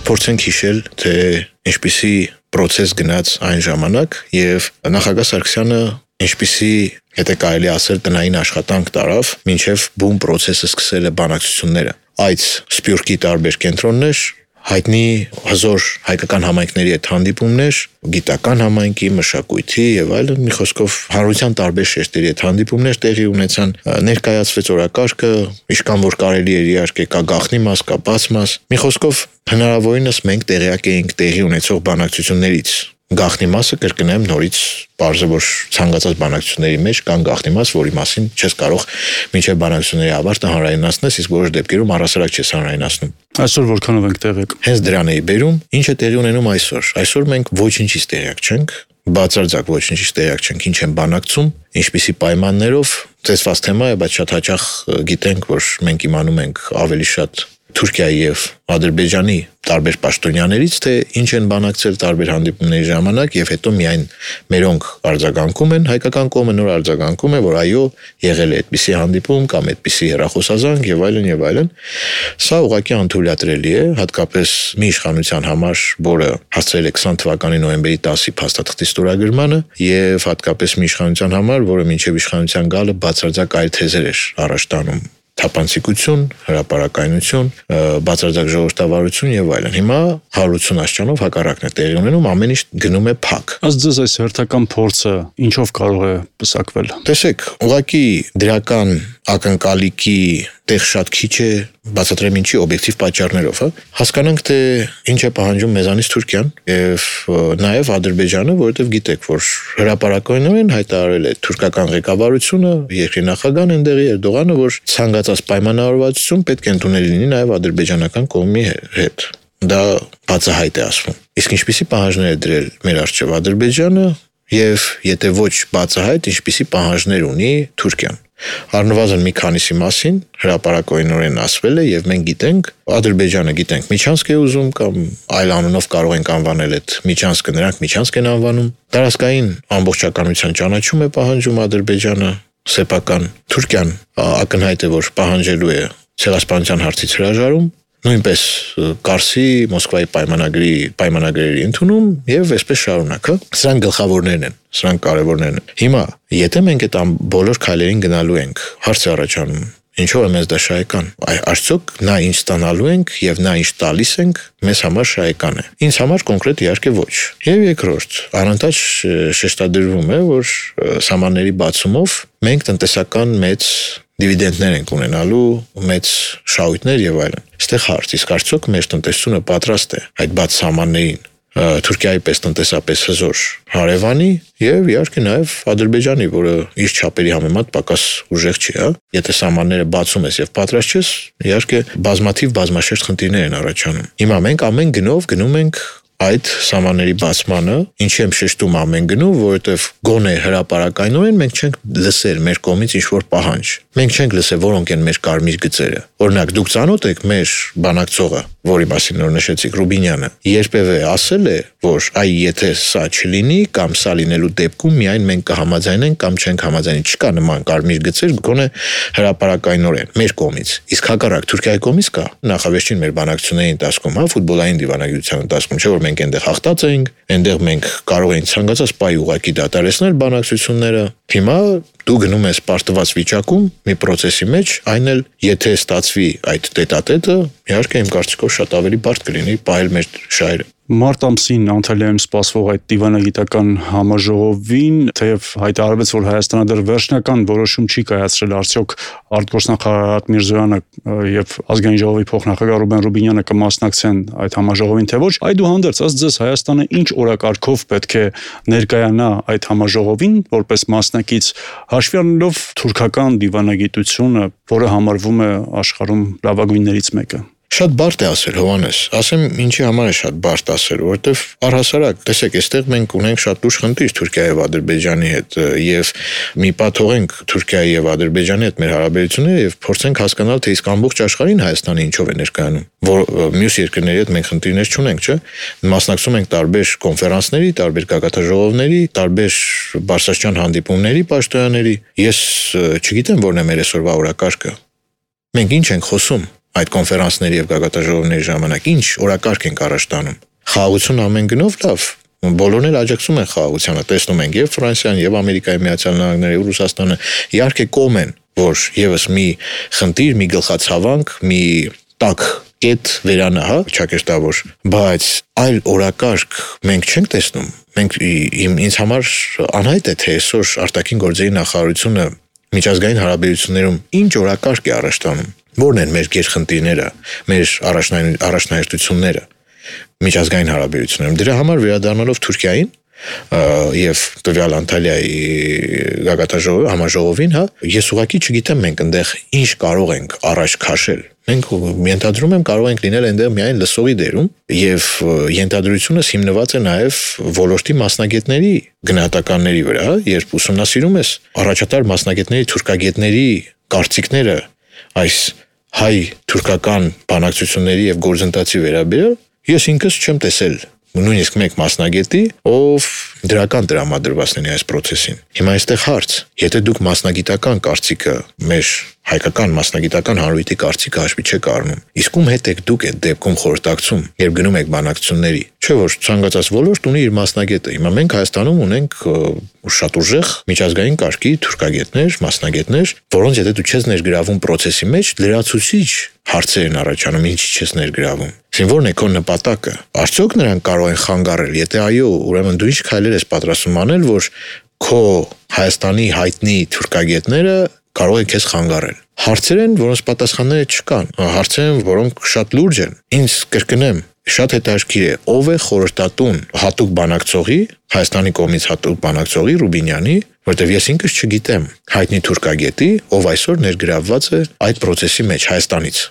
փորձենք հիշել, թե ինչպիսի process գնաց այն ժամանակ եւ նախագահ Սարգսյանը ինչպիսի, եթե կարելի ասել, տնային աշխատանք տարավ, մինչև բուն process-ը սկսել է բանակցությունները։ Այդ Սփյուռքի տարբեր կենտրոններ, հայտնի հզոր հայկական համայնքների հետ հանդիպումներ, գիտական համայնքի, մշակույթի եւ այլն, մի խոսքով հանրության տարբեր շերտերի հետ հանդիպումներ տեղի ունեցան, ներկայացվեց օրակարգը, ինչքան որ կարելի էր իհարկե կա գաղտնի մաս, կա բաց մաս, մի խոսքով հնարավորինս մենք տեղյակ էինք տեղի ունեցող բանակցություններից։ Գաղտնի մասը կրկնեմ նորից բարձր որ ցանկացած բանակցությունների մեջ կան գաղտնի մաս, որի մասին չես կարող մինչև բանակցությունների ավարտը հանրայնացնես, իսկ որոշ դեպքերում առհասարակ չես հանրայնացնում։ Այսօր որքանով ենք տեղյակ։ Հենց դրան էի բերում, ինչ է տեղի ունենում այսօր։ Այսօր մենք ոչինչից տեղյակ չենք, բացարձակ ոչինչից տեղյակ չենք, ինչ են բանակցում, ինչպիսի պայմաններով, ծեծված թեմա է, բայց շատ հաճախ գիտենք, որ մենք իմանում ենք ավելի շատ Թուրքիայի եւ Ադրբեջանի տարբեր պաշտոնյաներից, թե ինչ են բանակցել տարբեր հանդիպումների ժամանակ եւ հետո միայն մերոնք արձագանքում են, հայկական կողմը նոր արձագանքում է, որ այո, եղել է այդպիսի հանդիպում կամ այդպիսի հեռախոսազանգ եւ այլն եւ այլն։ Սա ուղղակի անթույլատրելի է, հատկապես մի իշխանության համար, որը հասցրել է 20 թվականի նոյեմբերի 10-ի փաստաթղթի ստորագրմանը եւ հատկապես մի իշխանության համար, որը մինչեւ իշխանության գալը բացարձակ այլ թեզեր էր առաջ տանում։ Թափանցիկություն, հրապարակայնություն, բացարձակ ժողովրդավարություն եւ այլն։ Հիմա 180 աստիճանով հակառակն է տեղի ունենում, ամեն ինչ գնում է փակ։ Ըստ ձեզ այս հերթական փորձը ինչով կարող է պսակվել։ Տեսեք, ուղղակի դրական ակնկալիքի տեղ շատ քիչ է, բացատրեմ ինչի օբյեկտիվ պատճառներով, հասկանանք թե ինչ է պահանջում մեզանից Թուրքիան եւ նաեւ Ադրբեջանը, որովհետեւ գիտեք, որ հրապարակայնորեն հայտարարել է թուրքական ղեկավարությունը, երկրի նախագահն ընդեղի Էրդողանը, որ ցանկացած պայմանավորվածություն պետք է ընդունել լինի նաեւ ադրբեջանական կողմի հետ։ Դա բացահայտ է ասվում։ Իսկ ինչպիսի պահանջներ է դրել մեր առջև Ադրբեջանը եւ եթե ոչ բացահայտ, ինչպիսի պահանջներ ունի Թուրքիան։ Առնվազն մի քանիսի մասին հրապարակայնորեն ասվել է եւ մենք գիտենք, Ադրբեջանը գիտենք Միչանսկ է ուզում կամ այլ անունով կարող ենք անվանել այդ Միչանսկը, նրանք Միչանսկ են անվանում։ Տարածքային ամբողջականության ճանաչում է պահանջում Ադրբեջանը, սեփական Թուրքիան ակնհայտ է, որ պահանջելու է ցեղասպանության հարցից հրաժարում, նույնպես Կարսի, Մոսկվայի պայմանագրերի ընդունում եւ այսպես շարունակ, Սրանք գլխավորներն են, սրանք կարևորներն են։ Հիմա, եթե մենք այդ բոլոր քայլերին գնալու ենք, հարց է առաջանում, ինչով է մեզ դա շահեկան։ Արդյոք նա ինչ ստանալու ենք եւ նա ինչ տալիս ենք, մեզ համար շահեկան է։ Ինձ համար կոնկրետ իհարկե ոչ։ Եվ երկրորդ, անընդհատ շեշտադրվում է, որ սահմանների բացումով մենք տնտեսական մեծ դիվիդենդներ ենք ունենալու, մեծ շահույթներ եւ այլն։ Այստեղ հարց, իսկ արդյոք մեր տնտեսությունը պատրաստ է այդ բաց սահմաններին Թուրքիայի պես տնտեսապես հզոր հարևանի եւ իհարկե նաեւ Ադրբեջանի, որը իր չափերի համեմատ պակաս ուժեղ չի, հա։ Եթե սահմանները բացում ես եւ պատրաստ ես, իհարկե բազմաշերտ խնդիրներ են առաջանում։ Հիմա մենք ամեն գնով գնում ենք այդ սահմանների բացմանը, ինչի եմ շեշտում ամեն գնով, որովհետև գոնե հրապարակայնորեն մենք չենք լսել մեր կողմից ինչ-որ պահանջ։ Մենք չենք լսել որոնք են մեր կարմիր գծերը։ Օրինակ, դուք ծանոթ եք մեր բանակցողը, որի մասին նոր նշեցիք, Ռուբինյանը, երբևէ ասել է, որ այ եթե սա չլինի կամ սա լինելու դեպքում միայն մենք կհամաձայնենք կամ չենք համաձայնի, չկա նման կարմիր գծեր, գոնե հրապարակայնորեն մեր կողմից։ Իսկ հակառակ Թուրքիայի կողմից կա։ Նախավերջին մեր բանակցությունների ընթացքում, հա, ֆուտբոլային դիվանագիտության ընթացքում, չէ՞ որ մենք այնտեղ հաղթած էինք, այնտեղ մենք կարող էինք ցանկացած պահի ուղղակի դադարեցնել բանակցությունները։ Հիմա դու գնում ես պարտված վիճակում մի process-ի մեջ, այն էլ եթե ստացվի այդ տետատետը, իհարկե իմ կարծիքով շատ ավելի բարդ կլինի պահել մեր շահերը։ Մարտ ամսին Անտալիայում սպասվող այդ դիվանագիտական համաժողովին, թեև հայտարարվեց, որ Հայաստանը դեռ վերջնական որոշում չի կայացրել, արդյոք արտգործնախարար Արարատ Միրզոյանը եւ Ազգային ժողովի փոխնախագահ Ռուբեն Ռուբինյանը կմասնակցեն այդ համաժողովին, թե ոչ, այդուհանդերձ, ըստ ձեզ Հայաստանը ինչ օրակարգով պետք է ներկայանա այդ համաժողովին որպես մասնակից, հաշվի առնելով թուրքական դիվանագիտությունը, որը համարվում է աշխարհում լավագույններից մեկը։ Շատ բարդ է ասել, Հովհաննես, ասեմ ինչի համար է շատ բարդ ասել, որովհետև առհասարակ, տեսեք, այստեղ մենք ունենք շատ լուրջ խնդիր Թուրքիայի եւ Ադրբեջանի հետ եւ մի պահ թողենք Թուրքիայի եւ Ադրբեջանի հետ մեր հարաբերությունները եւ փորձենք հասկանալ, թե իսկ ամբողջ աշխարհին Հայաստանը ինչով է ներկայանում, որ մյուս երկրների հետ մենք խնդիրներ չունենք, չէ՞։ Մասնակցում ենք տարբեր կոնֆերանսների, տարբեր գագաթնաժողովների, տարբեր բարձրաստիճան հանդիպումների պաշտոնյաների։ Ես չգիտեմ որն է մեր այսօրվա օրակարգը։ Մենք ինչ ենք խոսում։ այդ կոնֆերանսների եւ գագաթաժողովների ժամանակ ինչ օրակարգ ենք առաջ տանում։ Խաղաղություն ամեն գնով լավ, բոլորն էլ աջակցում են խաղաղությանը, տեսնում ենք եւ Ֆրանսիան, եւ Ամերիկայի Միացյալ Նահանգները, եւ Ռուսաստանը իհարկե կողմ են, որ եւս մի խնդիր, մի գլխացավանք, մի տակ կետ վերանա, ճակերտավոր, բայց այլ օրակարգ մենք չենք տեսնում։ Մենք ինձ համար անհայտ է, թե այսօր արտաքին գործերի նախարարությունը միջազգային հարաբերություններում ինչ օրակարգ է առաջ տանում։ Որն են մեր գերխնդիրները, մեր առաջնահերթությունները միջազգային հարաբերություններում։ Դրա համար վերադառնալով Թուրքիային եւ տվյալ Անտալիայի գագաթաժողովի համաժողովին, ես ուղղակի չգիտեմ մենք այնտեղ ինչ կարող ենք առաջ քաշել։ Մենք ենթադրում եմ կարող ենք լինել այնտեղ միայն լսողի դերում եւ ենթադրությունս հիմնված է նաեւ ոլորտի մասնագետների գնահատականների վրա, երբ ուսումնասիրում ես առաջատար մասնագետների, թուրքագետների կարծիքները այս հայ-թուրքական բանակցությունների եւ գործընթացի վերաբերյալ, ես ինքս չեմ տեսել նույնիսկ մեկ մասնագետի, ով դրական տրամադրված լինի այս process-ին։ Հիմա այստեղ հարց, եթե դուք մասնագիտական կարծիքը, մեր հայկական մասնագիտական հանրույթի կարծիքը հաշվի չեք առնում, իսկ ում հետ եք դուք այդ դեպքում խորհրդակցում, երբ գնում եք բանակցությունների, չէ՞ որ ցանկացած ոլորտ ունի իր մասնագետը։ Հիմա մենք Հայաստանում ունենք շատ ուժեղ միջազգային կարգի թուրքագետներ, մասնագետներ, որոնց եթե դու չես ներգրավում process-ի մեջ, լրացուցիչ հարցեր են առաջանում, ինչի չես ներգրավում։ Իսկ ո՞րն է քո նպատակը։ Արդյոք նրանք կարող են խանգարել, եթե այո, ուրեմն դու ինչ քայլեր ես պատրաստվում անել, որ քո Հայաստանի հայտնի թուրքագետները կարող են քեզ խանգարել։ Հարցեր են, որոնց պատասխանները չկան, հարցեր են, որոնք շատ լուրջ են։ Ինձ կրկնեմ, շատ հետաքրքիր է, ով է խորհրդատուն հատուկ բանակցողի, Հայաստանի կողմից հատուկ բանակցողի Ռուբինյանի, որտեվ ես ինքս չգիտեմ հայտնի թուրքագետի, ով այսօր ներգրավված է այդ process-ի մեջ Հայաստանից։